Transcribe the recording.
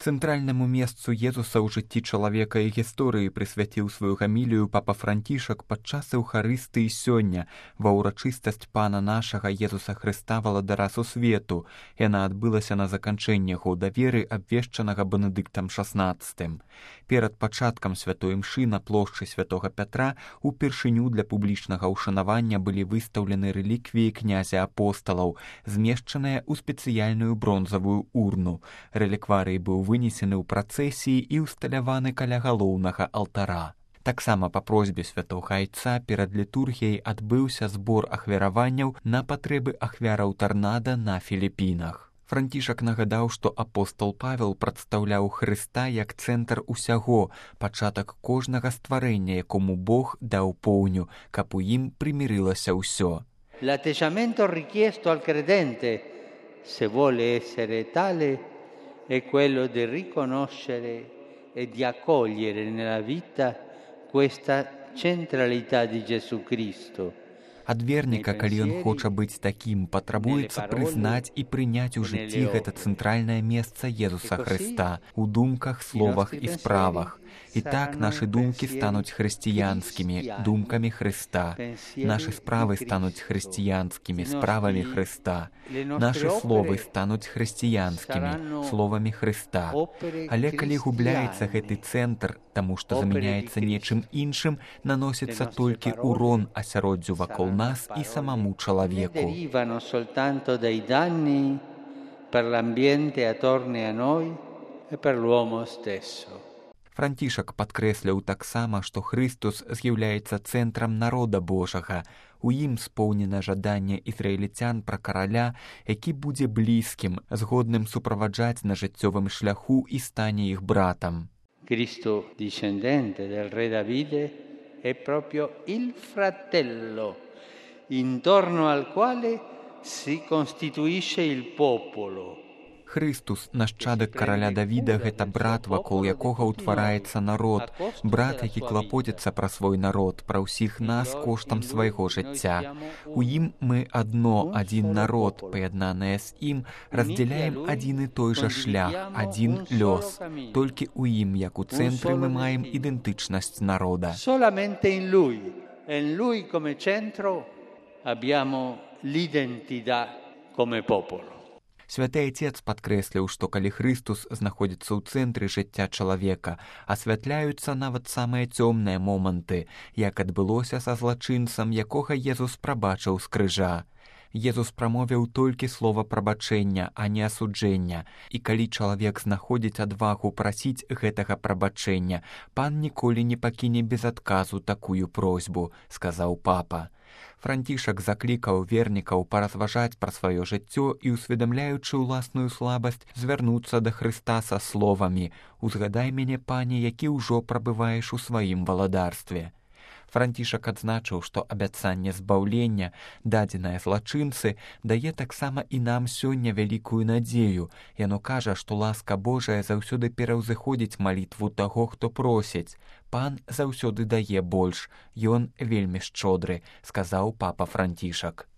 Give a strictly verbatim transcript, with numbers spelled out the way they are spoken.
Цэнтральнаму месцу Езуса ў жыцці чалавека і гісторыі прысвяціў сваю гамілію папа Францішак падчас Еўхарыстыі сёння ва ўрачыстасць Пана нашага Езуса Хрыста валадара сусвету. Яна адбылася на заканчэнне года веры, абвешчанага Бенедыктам шаснаццатым. Перад пачаткам святой імшы на плошчы святога Пятра упершыню для публічнага ўшанавання былі выстаўлены рэліквіі князя апосталаў, змешчаныя ў спецыяльную бронзавую урну. Рэлікварый быў вынесены ў працэсіі і ўсталяваны каля галоўнага алтара. Таксама па просьбе святога айца перад літургіяй адбыўся збор ахвяраванняў на патрэбы ахвяраў тарнада на Філіпінах. Францішак нагадаў, што апостол Павел прадстаўляў Хрыста як цэнтр усяго, пачатак кожнага стварэння, якому Бог даў поўню, каб у ім примирилося ўсё. L'atteggiamento richiesto al credente, se vuole essere tale, è quello di riconoscere e di accogliere nella vita questa centralità di Gesù Cristo. Ад верніка, калі ён хоча быць такім, патрабуецца прызнаць і прыняць у жыцці гэта цэнтральнае месца Езуса Хрыста у думках, словах і справах. І так нашы думкі стануць хрысціянскімі, думкамі Хрыста. Нашы справы стануць хрысціянскімі, справамі Хрыста. Нашы словы стануць хрысціянскімі, словамі Хрыста. Але калі губляецца гэты цэнтр, таму што замяняецца нечым іншым, наносіцца толькі урон асяроддзю вакол нас і самому чалавеку. Derivano soltanto dai danni per l'ambiente attorno a noi e per l'uomo stesso. Францішак падкрэсляў таксама, што Хрыстус з'яўляецца цэнтрам народа Божага. У ім споўнена жаданне ізраільцян пра караля, які будзе блізкім, згодным суправаджаць на жыццёвым шляху і стане іх братам. Cristo, discendente del re Davide, è proprio il fratello, intorno al quale si costituisce il popolo. Хрыстус, нашчадак караля Давіда, гэта брат, вакол якога ўтвараецца народ, брат, які клапоціцца пра свой народ, пра ўсіх нас коштам свайго жыцця. У ім мы адно, адзін народ, паяднаныя з ім, раздзяляем адзін і той жа шлях, адзін лёс. Толькі ў ім, як у цэнтры, мы маем ідэнтычнасць народа. Solamente in lui, in lui come centro, abbiamo l'identità come popolo. Святы Айцец падкрэсліў, што калі Хрыстус знаходзіцца ў цэнтры жыцця чалавека, асвятляюцца нават самыя цёмныя моманты, як адбылося са злачынцам, якога Езус прабачыў з крыжа. Езус прамовіў толькі слова прабачэння, а не асуджэння, і калі чалавек знаходзіць адвагу прасіць гэтага прабачэння, пан ніколі не пакіне без адказу такую просьбу, сказаў папа. Францішак заклікаў вернікаў паразважаць пра сваё жыццё і, усведамляючы ўласную слабасць, звярнуцца да Хрыста са словамі: «Узгадай мяне, пане, які ўжо прабываеш у сваім валадарстве». Францішак адзначыў, што абяцанне збаўлення, дадзенае злачынцы, дае таксама і нам сёння вялікую надзею. Яно кажа, што ласка Божая заўсёды пераўзыходзіць малітву таго, хто просіць. Пан заўсёды дае больш, ён вельмі шчодры, сказаў папа Францішак.